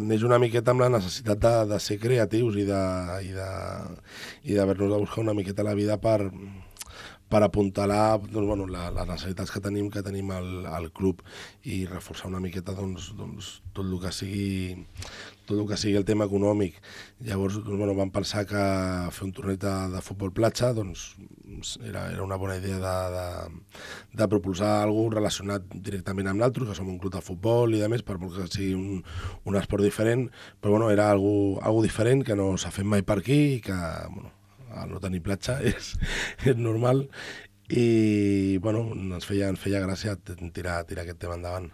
neix una miqueta amb la necessitat de ser creatius i d'haver-nos de buscar una miqueta la vida per apuntalar doncs, bueno, les necessitats que tenim al club i reforçar una miqueta doncs, tot el que sigui el tema econòmic. Llavors doncs, bueno, vam pensar que fer un torneig de futbol platja doncs, era una bona idea de propulsar alguna cosa relacionat directament amb l'altre, que som un club de futbol i de més, per molt que sigui un esport diferent, però bueno, era algo diferent que no s'ha fet mai per aquí i que, bueno, al no tenir platja és normal i bueno, ens feia gràcia tirar aquest tema endavant.